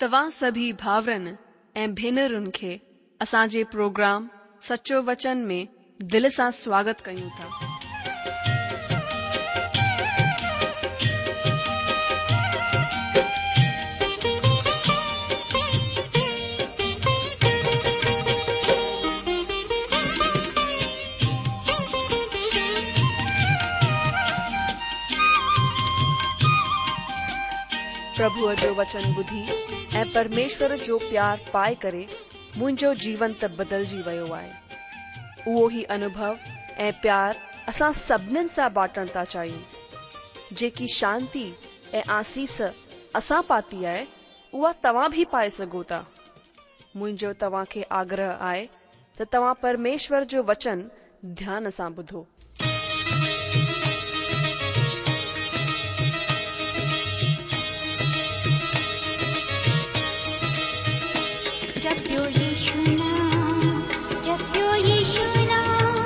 توهان سڀئي ڀائرن ۽ ڀينرن کي اسان جي پروگرام سچو وچن ۾ دل سان سواگت ڪيون ٿا. پرڀوء جو وچن ٻڌي ۽ پرميشور جو پيار پائي ڪري منهنجو جيون ته بدلجي ويو آهي. اهو ئي انوڀو ۽ پيار اسان سڀنين سان بانٽڻ ٿا چاهيون. جيڪي شانتي ۽ آسيس اسان پاتي آهي، اها توهان به پائي سگهو ٿا. منهنجو توهان کي آگرهه آهي ته توهان پرميشور جو وچن ڌيان سان ٻڌو. جپيو يشو نام جپيو يشو نام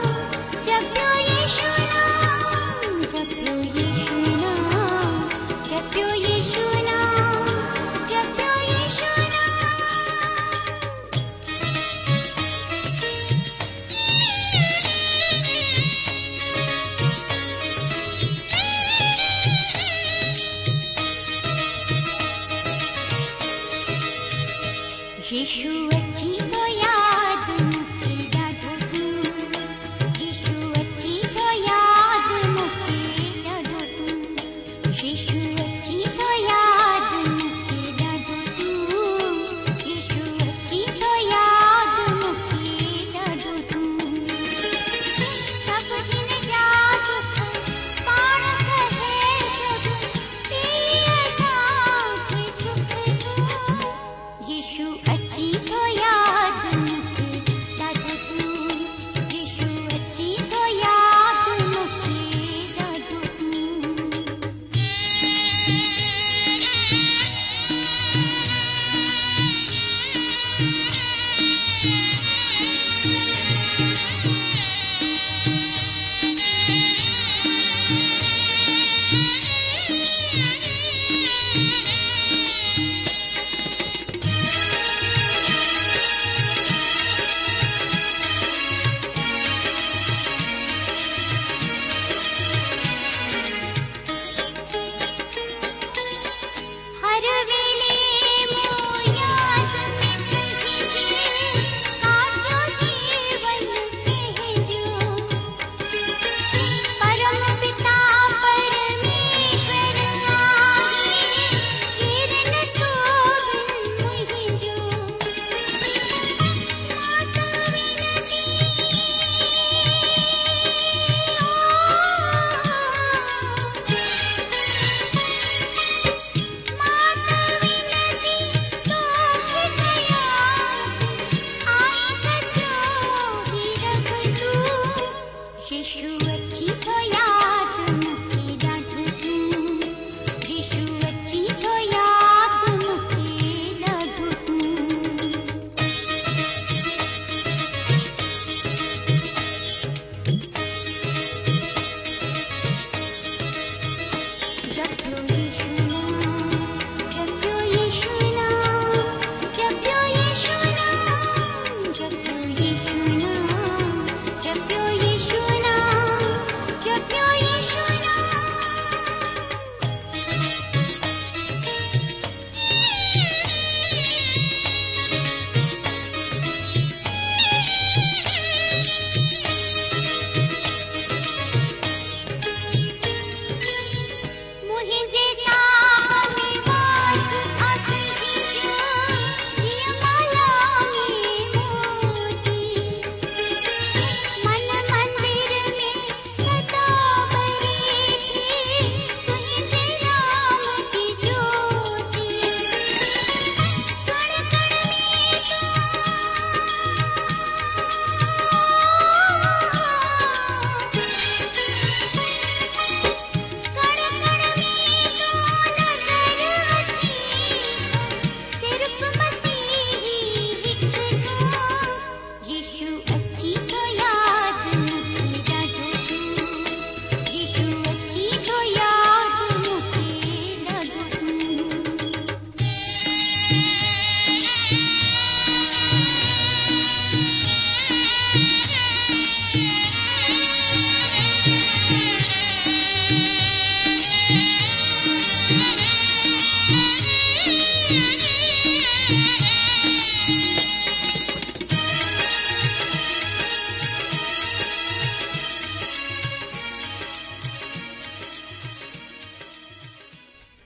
جپيو يشو نام جپيو يشو نام جپيو يشو نام جپيو يشو نام. يشو اچي ٿو ياد مون کي ڏاڍو تون يشو اچي ٿو ياد مون کي ڏاڍو تون يشو اچي ٿو ياد مون کي ڏاڍو تون يشو اچي ٿو ياد مون کي ڏاڍو تون سڀ هن جا دک پاڻ سهي سڀ ڏي اسان کي سک تون يشو اچي ٿو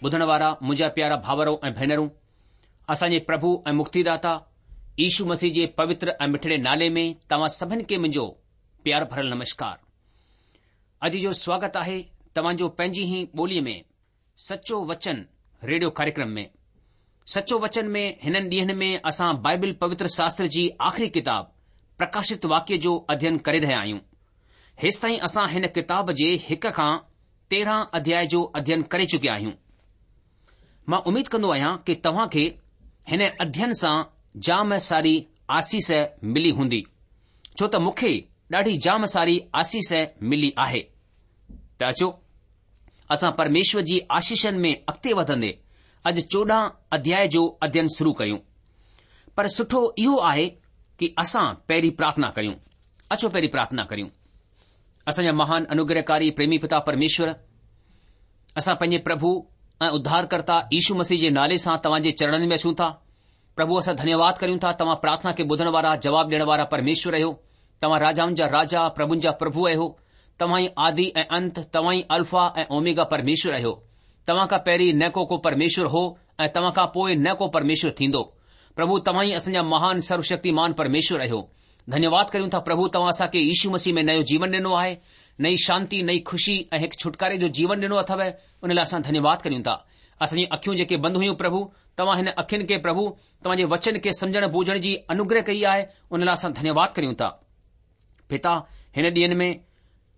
ٻڌڻ وارا منهنجا پيارا ڀاورو ۽ ڀينرون، اسان جي پرڀو ۽ مڪتيداتا يشو مسيح جي پوتر ۽ مٺڙي نالي ۾ توهان سڀن کي منهنجو پيار ڀرل نمشڪار. اڄ جو سواگت آهي توهان جو پنهنجي ئي ٻوليء ۾ سچو وچن ريڊيو ڪاريڪرم ۾. سچو وچن ۾ هنن ڏينهن ۾ اسان بائبل پوتر شاستر جي آخري ڪتاب پرڪاشت واڪيه جو اڌين ڪري رهيا آهيون. هيستائين اسان هن ڪتاب جي هڪ کان 13 اڌياء جو اڌين ڪري چڪيا آهيون. مان اميد ڪندو آهيان ڪي توهان کي هن اڌين سان جام ساري آسيس ملي هوندي ڇو ته مون کي ڏاڍي جام ساري آسيس ملي آهي. ته اچو اسان پرميشور جي آشيشن ۾ اڳتي وڌندي اڄ 14 اڌياء جو اڌين شروع ڪريون. پر سٺو اهو آهي ڪي اسان پهرين پرارٿنا ڪريون. اچو پهرين پرارٿنا ڪريون. اسان جا مهان انوگرهڪاري پريمي پتا پرميشور، اسان پنهنجي پرڀو ۽ اڌارڪرتا يشو مسيح جي نالي سان توهان جي چرڻن ۾ اچون ٿا. پرڀو اسان ڌنيواد ڪريون ٿا توهان پرارٿنا کي ٻڌڻ وارا جواب ڏيڻ وارا پرميشور آهيو. توهان راجائن جا راجا پرڀن جا پرڀو آهيو. توهان ئي آدي ۽ انت، توهان ئي الفا ۽ اوميگا پرميشور آهيو. توهان کان پهرين نه ڪو ڪو پرميشور هو ۽ توهان کان پوء نه ڪو پرميشور ٿيندو. پرڀو توهان ئي اسان جا مهان سروشڪتيمان پرميشور آهيو. ڌنيواد ڪريون ٿا پرڀو توهان اسان کي يشو مسيح ۾ نيو جيون ڏنو آهي، نئين شانتي، نئين خوشي ۽ هڪ ڇوٽڪاري جو جيون ڏنو اٿو ان لاء اسان ڌنيواد ڪريون ٿا. اسان جون اکيون جيڪي بند هيون پرڀو توهان هن اکين کي پرڀو توهان جي وچن کي سمجهڻ بوجهڻ جي انوگره ڪئي آهي ان لاء اسان ڌنيواد ڪريون ٿا. پتا هن ڏينهن ۾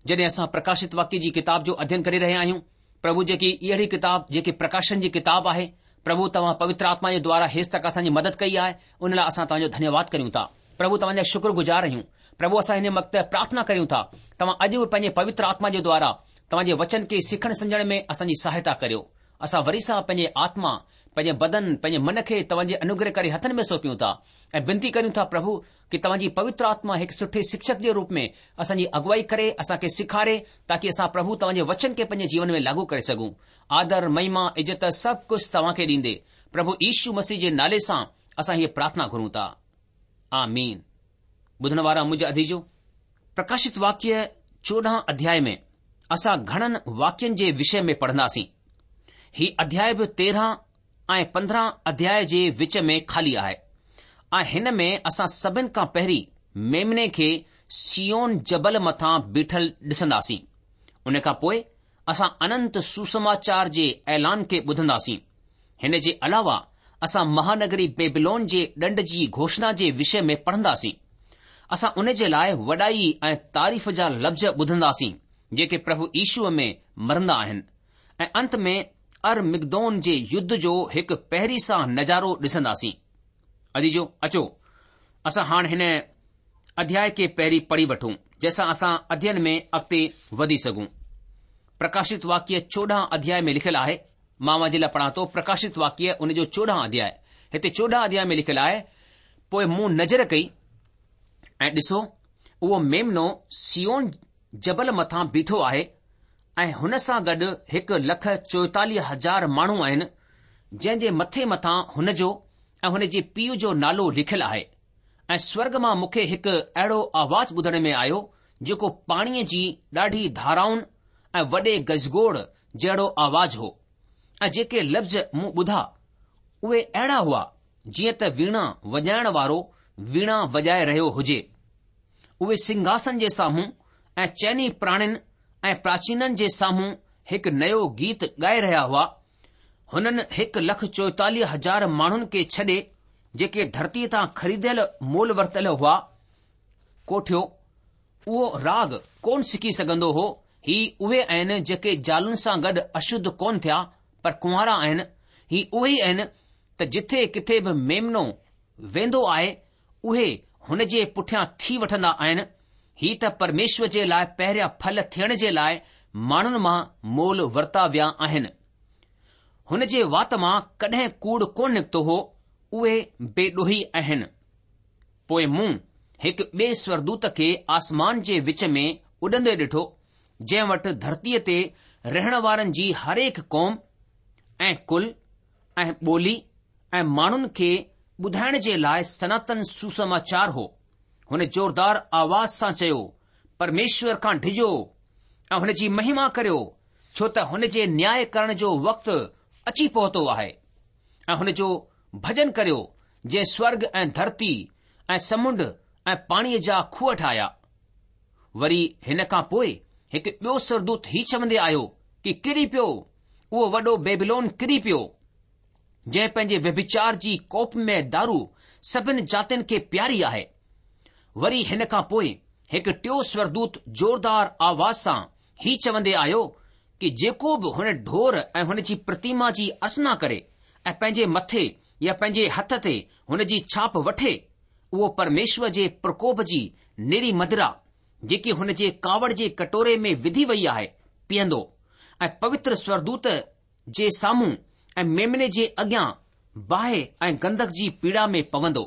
جڏهن اسان پرڪاشت واڪيه جي ڪتاب جو اڌين ڪري رهيا آهيون پرڀو جيڪي اهڙي ڪتاب جيڪي پرڪاشن جي ڪتاب آهي پرڀو توهان پوتر آتما جي دوارا هيس تڪ اسان جي مدد ڪئي آهي ان لاء اسان توهان جو ڌنيواد ڪريون ٿا پرڀو توهان جا شڪر گذار آهيون پرڀو اسان هن وقت پرارٿنا ڪريون ٿا توهان اڄ به پنهنجي پوتر آتما جي دوارا توهان جي وچن کي سکڻ سمجهڻ ۾ اسان جي سهائتا ڪريو اسان وري سان پنهنجي آتما پنهنجي بدن پنهنجي من کي توهان جي انوگرهڪاري هٿن ۾ سونپيون ٿا ۽ بنتي ڪريون ٿا پرڀو ڪي توهان جي پوتر آتما هڪ سٺي شڪشڪ جي روپ ۾ اسان جي اڳوائي ڪري، اسان کي سيکاري، تاڪي اسان پرڀو توهان جي وچن کي پنهنجي جيون ۾ لاڳو ڪري سگهون. آدر، مهما، عزت سڀ ڪجهه توهان کي ڏيندي، پرڀو يشو مسيح جي نالي سان اسان هيء پرارٿنا گهرون ٿا. آمين. ٻڌڻ وارا منهنجا عزيزو! پرڪاشت واڪيه 14 اڌياء ۾ اسان گهڻن واقعن جي وشي ۾ پڙهنداسين. هي اڌياء به 13 ۽ 15 اڌياء جي وچ ۾ خالي آهي ۽ هن ۾ اسان سڀن کان پهرين ميمني کي صيون جبل مٿان بيٺل ڏسنداسين. ان کان پوء اسان اننت سوسماچار جي اعلان کي ٻڌنداسين. هن جي علاوه اسان مهانگري بيبلون جي ڏنڊ جي گهوشڻا جي وشي ۾ پڙهنداسين. اسان ان جي لاء وڏائي ۽ تعريف جا لفظ ٻڌنداسين جيڪي پرڀو يشوء ۾ مرندا آهن ۽ انت ۾ ارمگدون جي يڌ جو هڪ پهرين سان نظارو ڏسنداسين. عزيزو، اچو اسان هاڻ هن اڌياء کي پهرين پڙهي وٺون، جنهن سان اسان اڌين ۾ اڳتي وڌي سگهون. پرڪاشت واڪيه 14 اڌياء ۾ لکيل آهي، مان اوهان جي لاء پڙهان ٿو پرڪاشت واڪيه ان جو 14 اڌياء. هتي 14 اڌياء ۾ لکيل آهي، پوء مون نظر ڪئي ۽ ڏسو، اهو ميمنو صيون جبل مٿان بيٺو آهي ۽ هن سان گڏ 1,44,000 ماڻهو آهن، جنهن جي مٿي مٿان هن جو ۽ هن جي پيء جو نالو لکيل آهي. ۽ سورڳ مان مون کي هڪ اهڙو آواز ٻڌڻ ۾ آيو، جيڪو پاڻيء جي ڏاڍي ڌارائن ۽ وڏي گجگوڙ جهڙو آواز هو. ۽ جيڪي لفظ مون ٻڌا، اهي اهڙا هئا، جيئن ته ويڻا وڄائڻ وارو ويڻا وڄائي رهيو هجي. اهي سنگهاسن جي سامهون ۽ چئني پراڻين ۽ پراچينن جي سامهون هڪ نيو گيت ڳائي رهيا هئا. هنن 1,44,000 ماڻهن کي ڇڏي، جيڪي ڌرتيء تان خريديل مول ورتل هئا، ڪوٺيو. اهو راڳ ڪونه سکي سگهندو هو. هي اهي آهن جيڪي زالن سان گڏ اشڌ ڪونه ٿيا، پر ڪنوارا آهن. هي اهي ئي آهن ته جٿي ڪٿي به ميمنو ويندو آهي، اهي هن جي پٺيان ٿي وٺندا آهن، هي ته پرميشور جي لاء پهريان ڦل ٿيڻ جي لاء ماڻهن مان مول ورتا ويا آهن. هن جي وات مان ڪڏهن ڪوڙ ڪونه نڪتو هو، اهي بي ڏوهي آهن. پوء مون هڪ ٻئي سورگدوت کي آسمان جي وچ ۾ اڏندي ڏٺو، جنهن وٽ ڌرتيء تي رهڻ وارن جي هرهڪ قوم ۽ ڪل ۽ ٻولي. ۽ ماڻهن کي ٻڌائڻ جي لاء سناتن سوسماچار هو. هن زوردار آواز سان چيو، پرميشور کان ڊڄو ۽ هن جي مهما ڪريو، ڇو ته هن جي نياء ڪرڻ جو وقت اچي پهتو آهي ۽ هن جو ڀڄن ڪريو جنهن سورڳ ۽ ڌرتي ۽ سمنڊ ۽ پاڻيء جا کوهه ٺاهيا. وري هن کان پوء هڪ ٻيو سورڳدوت هي چوندي آيو ڪي ڪري پيو، اهو وڏو بيبلون ڪري پيو، جنهن پنهنجي ويڀچار جي ڪوپمئي دارو سڀن جاتين کي پياري آهي. وري هن کان پوء هڪ ٽيو سورڳدوت زوردار آواز سان هي چوندي آيو ڪي جيڪو به هن ڍور ۽ هن جي پرتيما جي ارچنا ڪري ۽ پنهنجي مٿي يا پنهنجي هٿ تي هن جي ڇاپ وٺي، اهو پرميشور جي پرڪوپ جي نيري مدرا، جيڪي هن جي ڪاوڙ جي ڪٽوري ۾ وڌي وئي آهي، پيئندو ۽ پوتر سورڳدوت جي سامهون ۽ ميمني جي اڳيان باهه ۽ گنڌڪ جي پيڙا ۾ پوندو.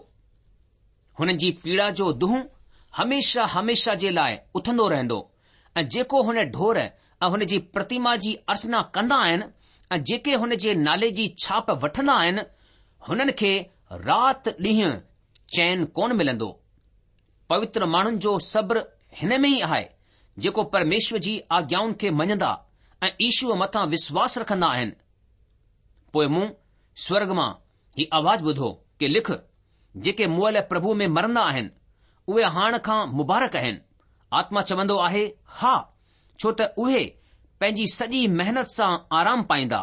هنن جي پيڙا جو دونهون هميشه هميشه جي لاء اٿندو رهندو ۽ جيڪو هن ڍور ۽ هن جي پرتيما جي ارچنا ڪندا آهن ۽ جيڪي هن جي نالي جي ڇاپ وٺندا آهن، هنن کي رات ڏينهن چين ڪونه ملندو. پوتر ماڻهن جو صبر هن ۾ ئي آهي، جيڪو پرميشور جي آگيائن کي مڃندا ۽ يشوء مٿان وشواس رکندا آهن. پوء مون سورڳ مان هي آواز ٻڌو ڪي لک، جيڪي مئل پرڀوء ۾ مرندا آهن، اهي هاڻ کان مبارڪ آهن. آتما چوندو آهي، ها، ڇو ته اهي پنهنجي سڄي محنت سان آرام پائيندا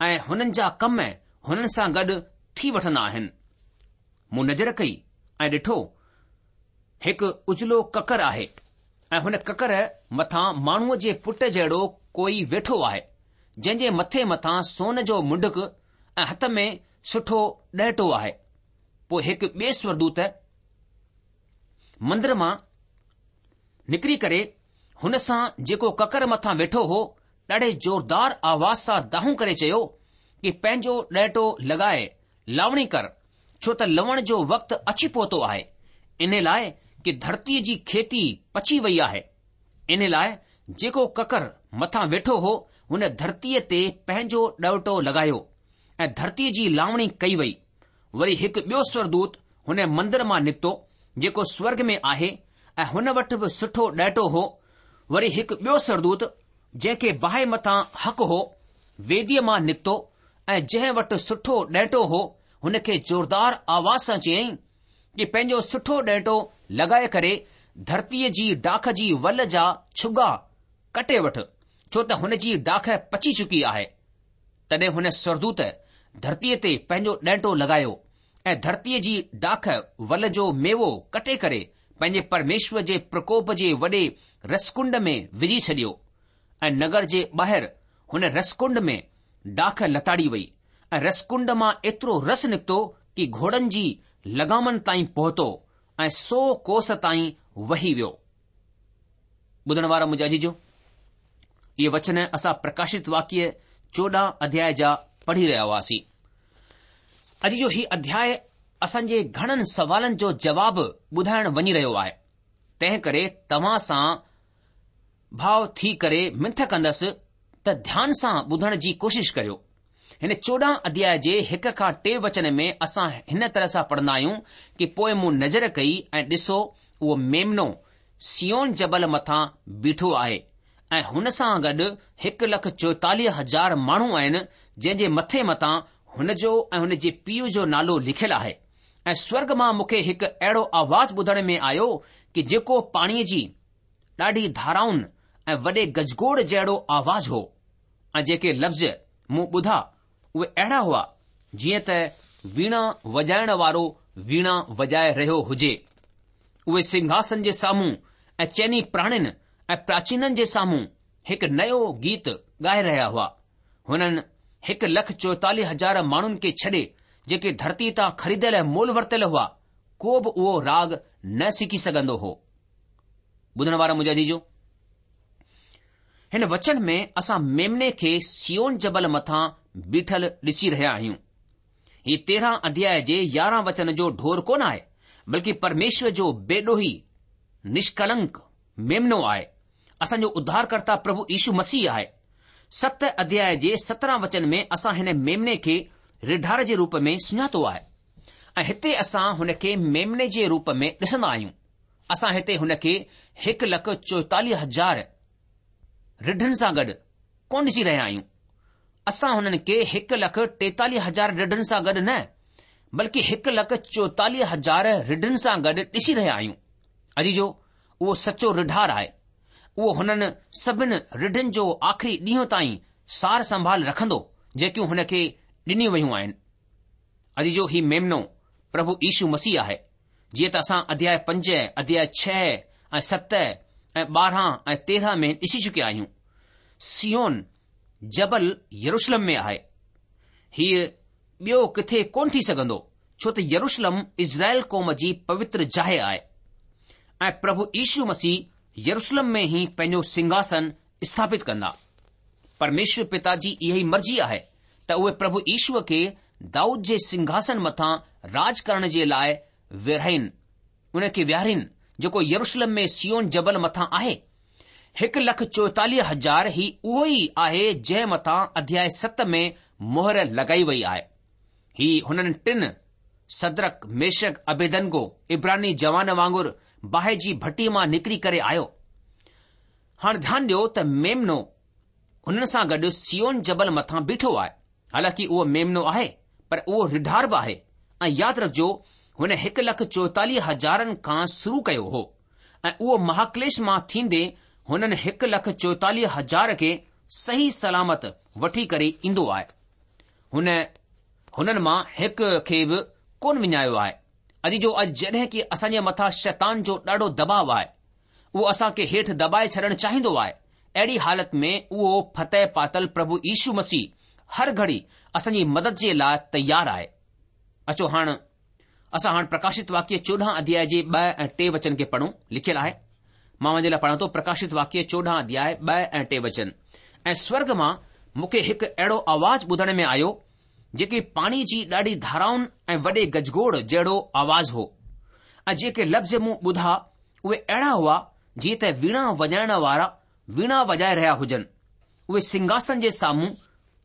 ۽ هنن جا ڪم هنن سان گڏ ٿي وٺندا آهن. مون نظر ڪئي ۽ ڏٺو، هڪ اجلو ڪڪر آهي ۽ هن ڪڪر مٿان ماڻهوء جي پٽ جهڙو ڪوئي ويٺو آهي، جنهن جي مٿي مٿان سون جو منڊڪ ۽ هٿ ۾ سٺو ڏهٽو آهي. پوء هڪ ٻئي سورڳدوت مندر مان نڪري ڪري هن سان جيڪو ڪڪر مٿان ويٺو هو، ڏاڍي زوردار آواز سان دانهون ڪري چيو ڪي پنهنجو ڏهٽو لڳائي لاوڻي ڪر، ڇو ته لوڻ جو وقت اچي پهتو آهي، انهي لاء ڪي ڌرتيء جي کيتي پچي وئي آهي. انهي لاء جيڪو ڪڪر مٿان ويٺو هو، هن ڌرتيء تي پنهنجو ڏهٽو لڳايو ۽ ڌرتيء جي لاوڻي ڪئي وئي. وري هڪ ٻيو سورڳدوت هن مندر مان نڪتو، جيڪو سورڳ ۾ آهي ۽ هن وٽ به سٺو ڏهٽو هو. وري هڪ ٻيو سورڳدوت، جنهن کي باهه مٿان حق هو، ويديء مان نڪتو ۽ جنهن وٽ سٺو ڏهٽو هو، هن کي زوردار آواز سان چيائين ڪي پنهنجو سٺو ڏهٽو لڳائي ڪري ڌرتيء جي ڊاک جي ول جا ڇڳا ڪٽي وٺ، ڇو ته هن جي ڊاک پچي چڪي آهي. تڏهن هن سورڳدوت ڌرتيء تي پنهنجو ڏهٽو لڳايو ۽ ڌرتيء جي ڊاک ول جو ميوو ڪٽي ڪري پنهنجي پرميشور جي پرڪوپ جي وڏي رسڪنڊ ۾ وجهي ڇڏيو ۽ نگر جي ٻاهر هن رسڪنڊ ۾ ڊاک لتاڙي وئي ۽ رسڪنڊ مان ايترو رس نڪتو ڪي گهوڙن جي لغامن تائين پهتو ۽ سو ڪوس تائين وهي ويو. ٻڌڻ وارا منهنجا عزيزو! اهي وچن اسان پرڪاشت واڪيه 14 اڌياء جا پڙهي رهيا هئاسين. عزيزو هي اڌياء اسان جي گهڻن سوالن جو جواب ٻڌائڻ وڃي رهيو آهي. تنهن ڪري توهان سان ڀاء ٿي ڪري منٿ ڪندس ته ڌيان سان ٻڌڻ جي ڪوشش ڪريو. هن 14 اڌياء جي هڪ کان ٽي وچن ۾ اسان هن طرح سان پڙهندا آهيون ڪي پوء مون نظر ڪئي ۽ ڏسو اهو ميمنو صيون جبل مٿان بيٺو آهي ۽ هن سان گڏ 1,44,000 ماڻهو آهن جنهن جي مٿي مٿان هن جو ۽ هن جي پيء جو نالو لکيل آهي ۽ سورڳ مان مون کي هڪ اهڙو آواز ٻڌڻ ۾ آيو ڪي جيڪو پاڻيء جي ڏاڍي ڌارائن ۽ وڏي گجگوڙ جهڙو آواز هو. ۽ جيڪي لفظ مون ٻڌا اهي اهڙا هئا جيئن ته ويڻا وڄائڻ وارو ويڻا وڄائي رهيو هجي. اهي سنگهاسن جي سامهون ۽ چئني پراڻين ۽ پراچينن جي سامهون هڪ نيو گيت ڳائي رهيا هئا. هنن 1,44,000 ماڻهن کي ڇڏي جيڪي ڌرتي تان خريديل مول ورتل هئا، ڪو به اهو راڳ نه سکي سگهندو هو. ٻڌڻ وارا منهنجا عزيزو! هن وچن ۾ اسان ميمني کي صيون جبل مٿان بيٺل ڏسي رهيا آهيون. هي تيرهن اڌياء جي يارهن وچن جو ڍور ڪونه آهي، بلڪه پرميشور جو بيڏوهي، نشڪلنڪ، ميمنو آهي. اسان جو اڌارڪرتا پرڀو يشو مسيح آهي. ست اڌياء جي 17 وچن ۾ اسان هن ميمني کي رڍار جي روپ ۾ سڃاتو آهي ۽ هتي اسان هن کي ميمني جي روپ ۾ ڏسندا آهيون. اسان هتي هن کي 1,44,000 رڍن سان گڏ ڪونه ڏسي رهيا آهيون. اسان هنن کي 1,43,000 رڍن سان گڏ نه بلڪه 1,44,000 رڍن سان گڏ ڏسي رهيا آهيون. عزيزو، اهو سچو رڍار آهي. اهو هنن سڀن رڍن جو آخري ڏينهن تائين سار سنڀال رکندو جيڪيون هن کي ڏنيون ويون آهن. عزيزو هي ميمنو پرڀو يشو مسيح آهي. جيئن ته اسان اڌياء پنج، اڌياء ڇهه ۽ ست ۽ 12 ۽ 13 ۾ ڏسي چڪيا آهيون. صيون جبل يروشلم ۾ آهي. هيء ٻيو ڪٿي ڪونه ٿي سگهندو، ڇو ته يروشلم اسرائيل قوم جي پوتر جاء آهي ۽ پرڀو يشو مسيح يروشلم ۾ ئي پنهنجو سنگهاسن اسٿاپت ڪندا. پرميشور پتا جي اها ئي مرضي آهي ته اهي پرڀو يشوء کي دائود جي سنگهاسن مٿان راڄ ڪرڻ جي لاء ويهارين، ان کي ويهارين جيڪو يروشلم ۾ صيون جبل مٿان آهي. 1,44,000 هي اهو ئي آهي جنهن مٿان اڌياء ست ۾ مهر لڳائي وئي آهي. هي هنن ٽن، سدرڪ، ميشڪ، عبيدنگو، عبراني جوان وانگر باهه جي ڀٽي مان نڪري ڪري آيو. هاڻ ڌيان ڏيو ته ميمنو هنن سان گڏ صيون جبل مٿان بيٺو آهي. حالانڪه اهو ميمنو آهي پر اهو رڍار به آهي ۽ ياد رکجو هن هڪ لک چوئيتاليهه هزارن کان شروع ڪيو هو ۽ اهو مهاڪليش مان ٿيندي هنن هڪ لک چوئيتاليهه هزار کي صحيح سلامت وٺي ڪري ايندو آهي. هن هنن مان هڪ کي به ڪونه وڃايو آهي. عزيزو اڄ جڏهن ڪه اسان جي مٿان شيطان جو ڏاڍو دٻاء آهي اهو اسان کي هيٺ دٻائي ڇڏڻ چاهيندو آهي. اهڙي حالت ۾ اهو فتح پاتل پرڀو يشو مسيح هر گهڙي اسان جي مدد جي لاء تيار آهي. اچو هاڻ اسان هاڻ پرڪاشت واڪيه 14 اڌياء جي 2 ۽ 3 وچن کي پڙهون. لکيل آهي، مان اوهان جي لاء پڙهان ٿو پرڪاشت واڪيه 14 اڌياء 2 ۽ 3 وچن. ۽ سورڳ مان مون کي هڪ اهڙو آواز ٻڌڻ ۾ آيو جيڪي پاڻي جي ڏاڍي ڌارائن ۽ وڏي گجگوڙ جهڙو آواز هو ۽ جيڪي لفظ مون ٻڌا اهي اهڙا هئا جيئن ته ويڻا وڄائڻ وارا ويڻا وڄائي رهيا هجن. اهي سنگهاسن جي سامهون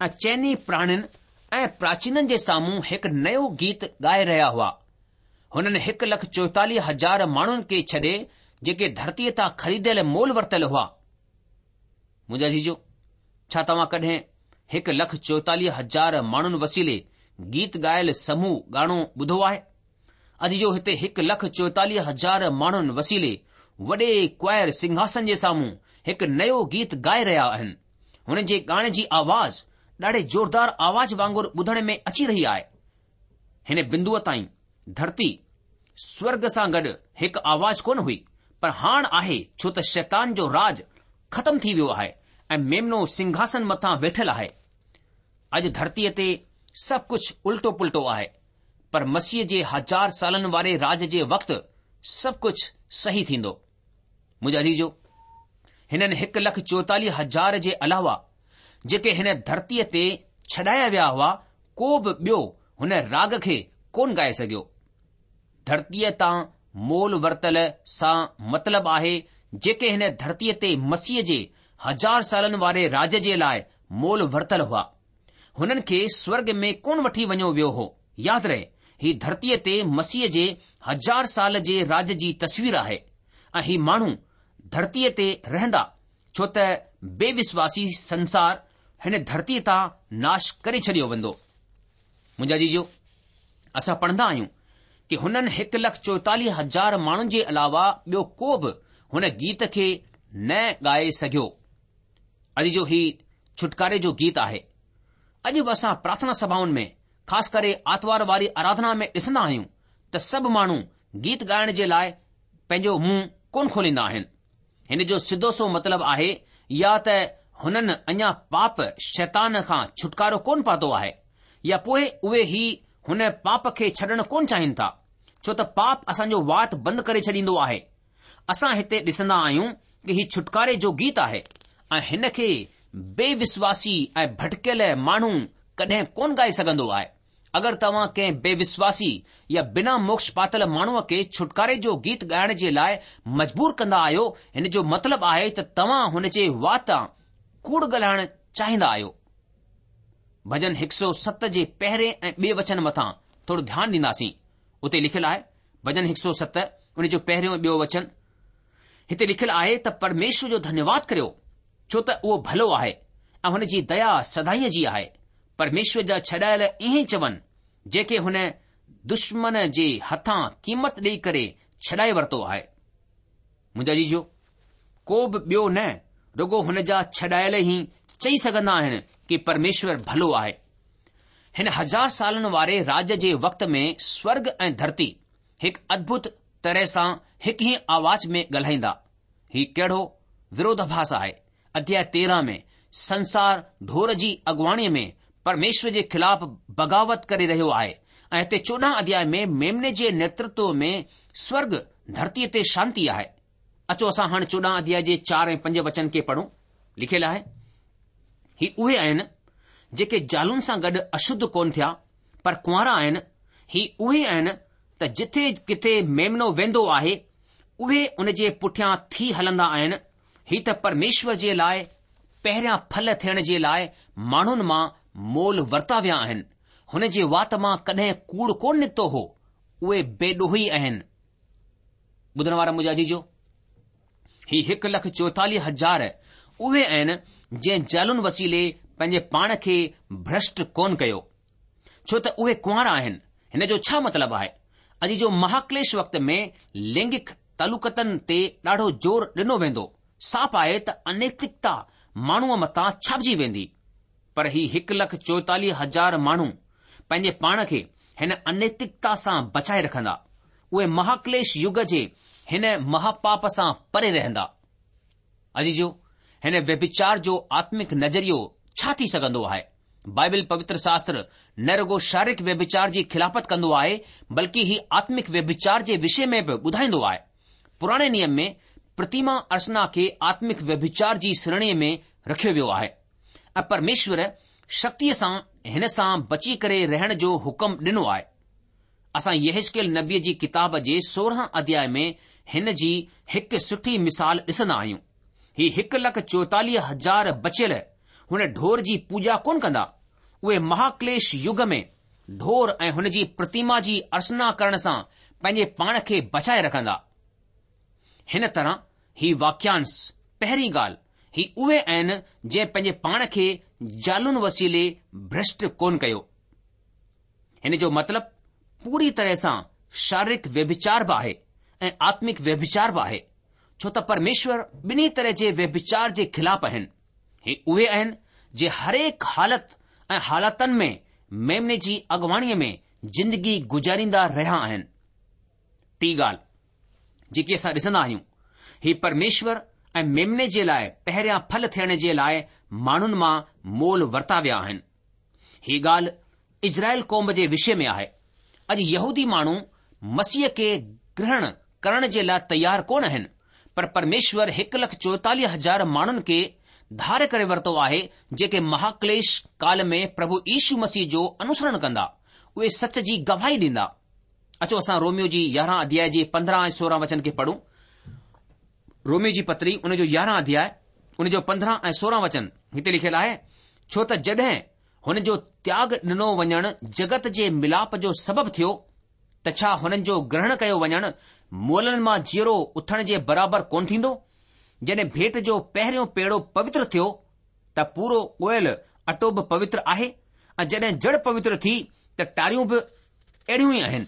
۽ چئني پراڻين ۽ پراچينن جي سامهون هڪ نيو گيت ڳائي رهيا هئا. هنن هڪ لک چوئيتاليهه هزار ماڻهن کي ڇڏي جيڪي ڌرتيء تان خريديل مول ورتل هئا. منهنجا عزيزو، ڇا توهان ڪڏهن هڪ لک چوئيتاليهه هزار ماڻهن وسيلي گيت ڳايل سموهه ڳاڻو ٻڌو آهي؟ عزيزو هتي هڪ لک چوئيتاليهه هزار ماڻهن وسيلي وڏي ڪوائر سنگهاسن جي سامهون هڪ نيو گيت ڳائي رهيا آهن. هنن جي ڳائڻ جي آواز ڏاڍي زوردار آواز وانگر ٻڌڻ ۾ اچي رهي آهي. هن بندوء تائين ڌرتي سورڳ سان گڏ هڪ آواز ڪونه هئي، پر هاڻ آهي ڇو ته شيطان جو راڄ ختم ٿي ويو آهي ۽ ميمنو سنگهاسن مٿان ويٺل آهي. اڄ ڌرتيء تي سڀ ڪجهه الٽو پلٽو آهي، پر مسيح جي هزار سالن واري راڄ جي وقت سڀ ڪجهه صحيح ٿيندو. منهنجا عزيزو، هنن هڪ لک چوئيتاليهه هزار جي علاوه جيڪي هن ڌرتيء تي ڇڏايا ويا هئا، ڪو به ٻيو هن راڳ کي ڪونه ڳائي سگهيو. ڌرتيء تان مول ورتل سان مطلب آهي جيڪي هن ڌرتيء تي مسيح جي هزار سالن واري راڄ جي لاء مول ورتل هئا. هنن کي سورڳ ۾ ڪونه وٺي وڃيو ويو هو. ياد رهي، هي ڌرتيء تي مسيح جي هزار سال جي راڄ جي تصوير آهي ۽ هي ماڻهو ڌرتيء تي رهندا ڇو ته بي وشواسي سنسار هن ڌرتيء تان ناش ڪري ڇڏيو ويندو. منهنجا عزيزو، اسان پڙهندا آهيون ڪي هنن هڪ لک چوئيتاليهه هزار ماڻهن جي علاوه ٻيو ڪو به هن گيت کي نه ڳائي سگهيو. عزيزو هي ڇوٽڪاري جو گيت آهي. اڄ به اسان پرارٿنا سڀائن ۾ خاص ڪري آتوار واري آراڌنا ۾ ڏسندا آهيون ته سڀ ماڻهو گيت ڳائڻ جي لاء پنهنجو منهن ڪونه کوليندا آهن. هن جو سڌو سو مطلب آهي يا ته هنن اڃا پاپ، شيطان، کان ڇوٽڪارو ڪونه پاتو آهي يا پوء اهي هي هن پاپ کي ڇڏڻ ڪونه چاهين ٿا ڇو ته پاپ اسان جو وات بند ڪري ڇڏيندو آهي. اسان هتي ڏسندا آهيون ڪه هي ڇوٽڪاري جو گيت آهي ۽ هن کي بي وشواسي ۽ ڀٽڪيل ماڻهو ڪڏهن ڪونه ڳائي سگهندو آهي. اگر توهان ڪنهن بي وشواسي يا بنا موڪش پاتل ماڻهوء کي ڇوٽڪاري جو گيت ڳائڻ جي لاء مجبور ڪندا آهيو هن جو مطلب آهي ته توهان هن جي واتان ڪوڙ ڳالهائڻ چاهيندا آهيو. ڀڄن 107 جي پهرين ۽ ٻئي وچن مٿان ٿورو ڌيان ڏينداسين. اتي لکيل آهي، ڀڄن 107 ان جو پهريون ۽ ٻيو وچن، هتي لکيل آهي ته پرميشور جو ڌنيواد ڪريو، ڇو ته اهو ڀلو آهي ۽ هن جي ديا سدائين جي آهي. پرميشور جا ڇڏايل ائين چون، جنهن کي هن دشمن جي هٿان قيمت ڏيئي ڪري ڇڏائي ورتو آهي. منهنجا عزيزو، ڪو به ٻيو نه رڳو هن جا ڇڏايل ئي چئي سگهندا آهن ڪي پرميشور ڀلو آهي. هن هزار سالن واري راڄ جي وقت ۾ سورڳ ۽ ڌرتي هڪ ادڀت طرح سان هڪ ئي آواز ۾ ڳالهائيندا. هي ڪهڙو وروڌاڀاس آهي. اڌياء 13 ۾ سنسار ڍور جي اڳواڻيء ۾ پرميشور جي خلاف بغاوت ڪري رهيو آهي ۽ هتي 14 اڌياء ۾ ميمني جي نيترتو ۾ سورڳ ڌرتيء تي شانتي آهي. اچو اسان هاڻ 14 اڌياء جي 4 ۽ 5 وچن کي پڙهون. لکيل آهي، هي اهي آهن جيڪي زالن سان گڏ اشڌ ڪونه ٿيا پر ڪنوارا آهن، هي اهي آهن ته جٿي ڪٿي ميمنو ويندو آهي، اهي ان جي پٺيان ٿي هلندا آهن، هي ته پرميشور جي لاء پهريان ڦل ٿيڻ جي لاء ماڻهن مان مول ورتا ويا آهن، هن جي وات مان ڪڏهن ڪوڙ ڪونه نڪتو هو، اهي بي ڏوهي آهن. ٻڌڻ وارا منهنجا عزيزو! هي 1,44,000 اهي آهن جنهن زالن وسيلي پنهنجي پاڻ کي ڀرشٽ ڪونه ڪيو. ڇو ته اهي ڪنوارا آهن. هن جو ڇا مطلب آهي؟ عزيزو مهاڪليش وقت ۾ لينگڪ تعلقاتن تي ڏاڍو زور ڏنو ويندو. صاف آهي ته انيتڪتا ماڻهوء مٿان ڇانئجي ويندي. پر هي 1,44,000 ماڻهو پنهنجي پاڻ کي هن انيتڪتا سان بچائي رکندا. اهي مهاڪليش يگ جي هن مهاپاپ سان پري رهندا. عزيزو! هن ويڀچار جو آتمڪ نظريو ڇا ٿي سگهندو آهي؟ بائبل پوتر شاستر نه رڳو شاريرڪ ويڀچار جي خلافت ڪندو آهي بلڪه هي آتمڪ ويڀچار جي وشي ۾ به ٻڌائيندو آهي. پراڻي نيم ۾ پرتيما ارچنا کي آتمڪ ويڀچار جي شريڻيء ۾ رکيو ويو آهي ۽ پرميشور سختيء سان هن سان بچي ڪري رهڻ جو حڪم ڏنو آهي. اسان يحزقيل نبيء جي ڪتاب جي 16 اڌياء ۾ هن جي هڪ سٺي مثال ڏسندا آهيون. هي 1,44,000 بچيل هن ڍور جي پوڄا ڪونه ڪندا. اهي مهاڪليش يگ ۾ ڍور ۽ هن جي پرتيما جي ارچنا ڪرڻ سان پنهنجي پاڻ کي بچائي رکندا. هن طرح هي واڪيانش، پهرين ڳالهه، هي اهي آهن جنهن پنهنجي پاڻ کي زالن وسيلي ڀرشٽ ڪونه ڪيو. هن جو مطلب پوري طرح سان شاريرڪ ويڀچار به آهي ۽ آتمڪ ويڀچار به آهي، ڇو ته پرميشور ٻنهي طرح جي ويڀچار جي خلاف آهن. هي اهي آهن جي هرهڪ حالت ۽ حالاتن ۾ ميمني جي اڳواڻيء ۾ زندگي گذاريندا رهيا آهن. ٽين ڳالهه جيڪي اسان ڏسندا آهيون، هي پرميشور ۽ ميمني جي لاء پهريان ڦل ٿيڻ جي لاء ماڻهن مان مول ورتا ويا آهن. هي ڳالهه اسرائيل قوم جي وشي ۾ آهي. اڄ يهودي ماڻهو مسيح کي گرهڻ ڪرڻ جي لاء تيار ڪونه آهن، پر پرميشور 1,44,000 ماڻهن کي ڌار ڪري ورتو آهي جيڪي مهاڪليش ڪال ۾ پرڀو يشو مسيح جو انوسرڻ ڪندا، اهي سچ جي گواهي ڏيندا. اچو اسان روميو جي يارهن اڌياء جي 15 ۽ 16 وچن کي پڙهون. روميو جي پتري ان جو يارهن اڌياء ان جو 15 ۽ 16 وچن هتي لکيل آهي، ڇو ته جڏهن هن جو تياڳ ڏنو وڃڻ جڳت جي ملاپ جو سبب ٿيو ته ڇا هنن جو گرهڻ ڪيو وڃڻ مئلن مان جيئرو اٿڻ جي برابر ڪونه ٿيندو؟ جڏهن ڀيٽ جو پهريون پيڙو پوتر ٿيو ته پورو ڳوهيل اٽو به پوتر آهي ۽ جڏهن جڙ پوتر ٿي ته ٽاريون به اهڙيون ئي آهن.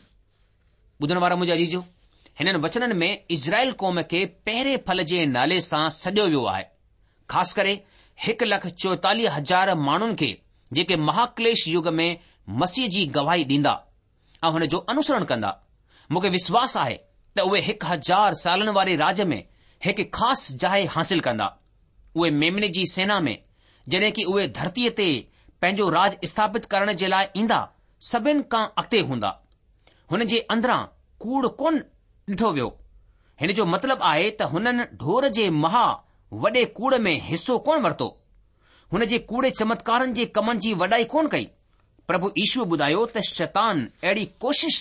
ٻڌڻ وارا منهنجا عزيزو! هنن وچنن ۾ اسرائيل قوم کي پهرين ڦل جي نالي سان سڏيو ويو آهي. خاص ڪري 1,44,000 ماڻهن کي جيڪي مهاڪليش يگ ۾ مسيح جي گواهي ڏيندا ۽ هن جو انوسرڻ ڪندا. مون کي وشواس آهي ته اهي هڪ هزار سالن واري راڄ ۾ هڪ خاص جاء حاصل ڪندا. اهي ميمني جي سينا ۾ جڏهن ڪي اهي ڌرتيء تي پنهنجو راڄ اسٿاپت ڪرڻ جي لاء ايندا، سڀن کان اڳتي هوندا. هن جي اندران ڪوڙ ڪونه ڏٺو ويو. هن جو مطلب آهي ته هنن ڍور جي مها وڏي ڪوڙ ۾ حصو ڪونه ورتو. هن جي ڪوڙي چمتڪارن جي ڪمن جي وڏائي ڪونه ڪئي. پرڀو يشوء ٻڌايو ته شيطان اهڙي ڪوشش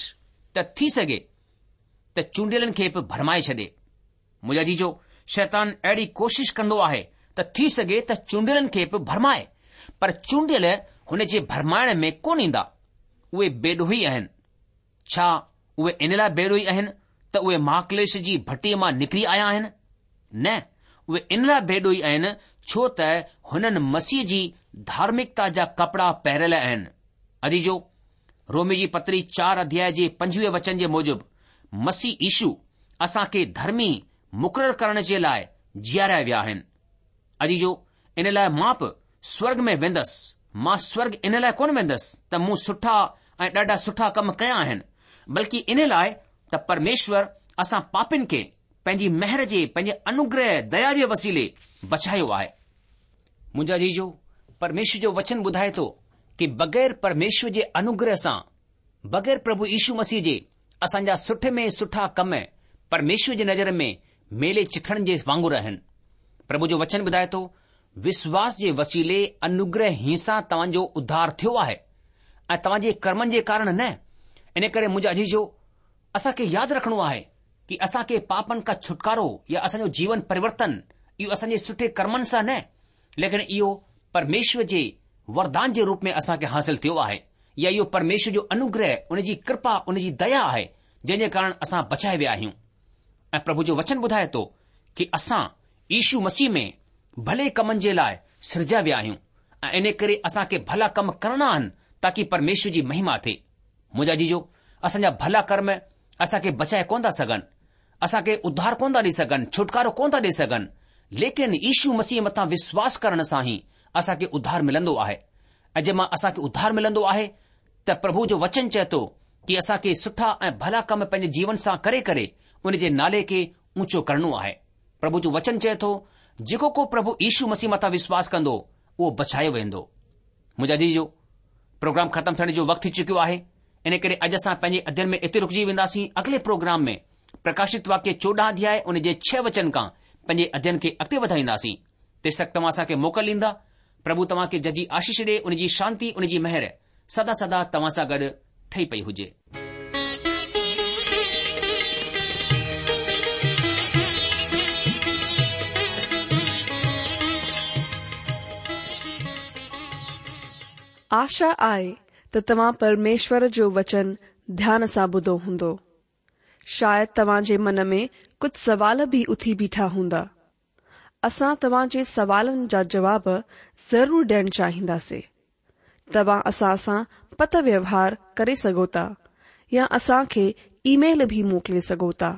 ته ٿي سگهي ته چونڊيلن کي به ڀرمائي ڇڏي. منهنجا عزيزو، شيطان اهڙي ڪوشش ڪندو آهي ته ٿي سگهي ته چونڊيلن کي به ڀرمائي، پر چونڊيل هن جي ڀرمائڻ ۾ ڪونه ايندا. اهي بيڏوهي آهن. ڇا اهي ان لاء بيڏوهي آهن ته اهي مهاڪليش جي ڀٽيء مان نڪري آيا آهن؟ نه، اهي ان لاء بيڏوهي آهن ڇو ته هنن مسيح جي ڌارمڪتا جا ڪپڙا پهريل آهن. عزيزو! رومي جي پتري چار اڌياء جي 25 وچن جي موجب مسيح يشو اسان کي ڌرمي مقرر ڪرڻ جي لاء جياريا ويا آهن. عزيزو! ان لاء مان به سورڳ ۾ ويندس. مان سورڳ ان لاء ڪونه ويندس ته مون سٺا ۽ ڏاڍا سٺا ڪم ڪيا آهن، بلڪه ان لاء ته پرميشور اسان پاپين کي پنهنجي مهر جي، پنهنجي انوگره، ديا جي وسيلي بچايو آهي. منهنجا عزيزو، پرميشور جو وچن ٻڌائي ٿو ڪي بغير پرميشور جي انوگره سان، بغير پرڀو يشو مسيح جي اسان جا سٺي ۾ سٺا ڪم پرميشور جي نظر ۾ ميلي چٿڙن جي وانگر آهن. پرڀو جو وچن ٻڌائي ٿو، وشواس جي وسيلي انوگره ئي سان توهان جو اڌار ٿيو آهي ۽ توهان جي ڪرمن جي ڪارڻ نه. ان ڪري منهنجا عزيزو، اسان کي ياد رکڻو آهي ڪي اسان کي پاپن کان ڇوٽڪارو يا اسان جو جيون پريورتن اهو اسان جي سٺي ڪرمن سان نه ليڪن اهو پرميشور جي وردان جي روپ ۾ اسان کي حاصل ٿيو آهي يا اهو پرميشور جو انوگره، ان جي ڪرپا، ان جي ديا آهي جنهن جي ڪارڻ اسان بچايا ويا آهيون. ۽ پرڀو جو وچن ٻڌائي ٿو ڪي اسان يشو مسيح ۾ ڀلي ڪمن جي لاء سرجيا ويا آهيون ۽ ان ڪري اسان کي ڀلا ڪم ڪرڻا آهن تاڪي پرميشور جي مهما ٿئي. منهنجا عزيزو، اسان جا ڀلا ڪرم اسان کي بچائي ڪونه ٿا سگهن، اسان کي اڌار ڪونه ٿا ڏئي سگهن، ڇوٽڪارو ڪونه ٿا ڏئي سگهن، ليڪن يشو مسيح مٿان وشواس ڪرڻ سان ئي اسان کي اڌار ملندو آهي ۽ جنهن مان اسان کي اڌار ملندو آهي ته پرڀو جو وچن چئي ٿو ڪي اسان کي سٺا ۽ ڀلا ڪم پنهنجي جيون سان ڪري ڪري ان جي نالي کي اونچو ڪرڻو آهي. پرڀو جو وچن چئي ٿو جيڪو ڪو پرڀو يشو مسيح مٿان وشواس ڪندو اهو بچايو ويندو. منهنجا عزيزو، پروگرام ختم ٿيڻ جو وقت ٿي چڪيو آهي، ان ڪري اڄ اسان پنهنجي اڌين ۾ اتي رڪجي وينداسين. اڳلي پروگرام ۾ پرڪاشت واڪيه 14 اڌياء ان جي ڇهه وچن کان پنهنجي اڌين کي اڳتي وڌائينداسين. تيستڪ توهان اسان کي موڪل ڏيندا. پرڀو توهان کي ججهي آشيش ڏي، ان جي شانتي، ان جي مهر سدا سدا توهان سان گڏ ٺهي پئي هجي. آشا آهي ته توهان پرميشور جو وچن ڌيان سان ٻڌو هوندو. شايد توهان جي من ۾ ڪجهه سوال به اٿي بيٺا هوندا. اسان توهان جي سوالن جا جواب ضرور ڏيڻ چاهينداسين. توهان اسان سان پتر ويوهار ڪري سگهو ٿا يا اسان کي اي ميل به موڪلي سگهو ٿا.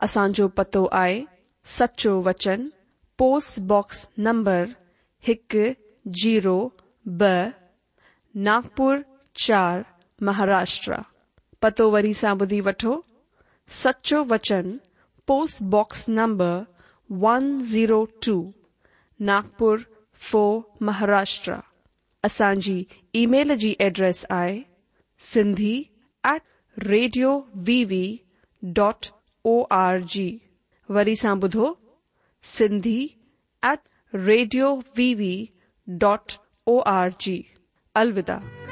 اسان جو پتو آهي سچو وچن پوسٽ باڪس نمبر هڪ زيرو ٻه ناگپور چار مهاراشٽرا. پتو وري سان ٻڌي وٺو، سچو وچن post box number one zero two Nagpur four Maharashtra. اسان جي اي ميل جي ايڊريس آهي Sindhi at radio V V dot O R G. وري سان ٻڌو Sindhi at radio V V dot O R G. الوداع.